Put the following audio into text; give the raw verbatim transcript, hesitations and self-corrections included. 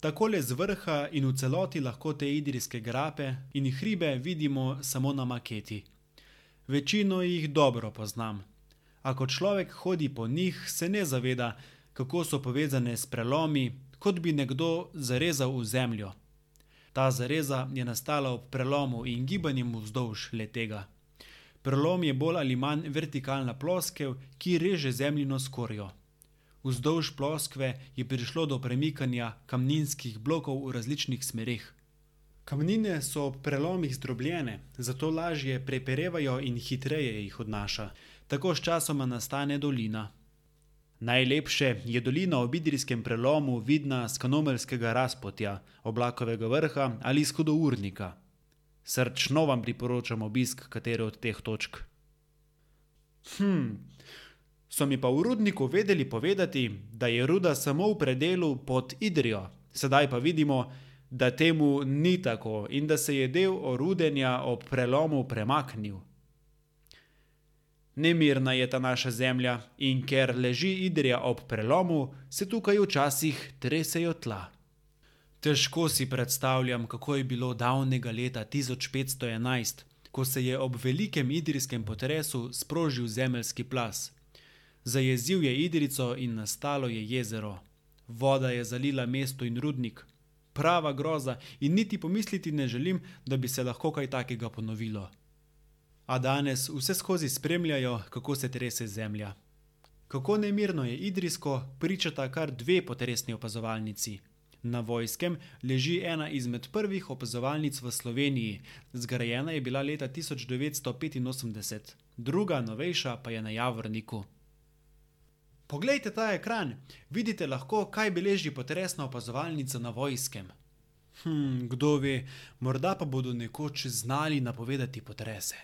Takole z vrha in v celoti lahko te idrijske grape in hribe vidimo samo na maketi. Večino jih dobro poznam. A ko človek hodi po njih, se ne zaveda, kako so povezane s prelomi, kot bi nekdo zarezal v zemljo. Ta zareza je nastala ob prelomu in gibanjem vzdolž le-tega. Prelom je bolj ali manj vertikalna ploskev, ki reže zemljino skorjo. Vzdolž ploskve je prišlo do premikanja kamninskih blokov v različnih smereh. Kamnine so ob prelomih zdrobljene, zato lažje preperevajo in hitreje jih odnaša. Tako sčasoma nastane dolina. Najlepše je dolina ob idrijskem prelomu vidna s Kanomeljskega razpotja, Oblakovega vrha ali iz Hudournika. Srčno vam priporočam obisk katere od teh točk. Hm, so mi pa v rudniku vedeli povedati, da je ruda samo v predelu pod Idrijo. Sedaj pa vidimo, da temu ni tako in da se je del orudenja ob prelomu premaknil. Nemirna je ta naša zemlja in ker leži Idrija ob prelomu, se tukaj včasih tresejo tla. Težko si predstavljam, kako je bilo davnega leta tisoč petsto enajst, ko se je ob velikem idrijskem potresu sprožil zemeljski plaz. Zajezil je Idrijco in nastalo je jezero. Voda je zalila mesto in rudnik. Prava groza in niti pomisliti ne želim, da bi se lahko kaj takega ponovilo. A danes vse skozi spremljajo, kako se trese zemlja. Kako nemirno je idrijsko, pričata kar dve potresni opazovalnici. Na Vojskem leži ena izmed prvih opazovalnic v Sloveniji, zgrajena je bila leta tisoč devetsto petinosemdeset, druga, novejša, pa je na Javorniku. Poglejte ta ekran, vidite lahko, kaj beleži potresna opazovalnica na Vojskem. Hm, kdo ve, morda pa bodo nekoč znali napovedati potrese.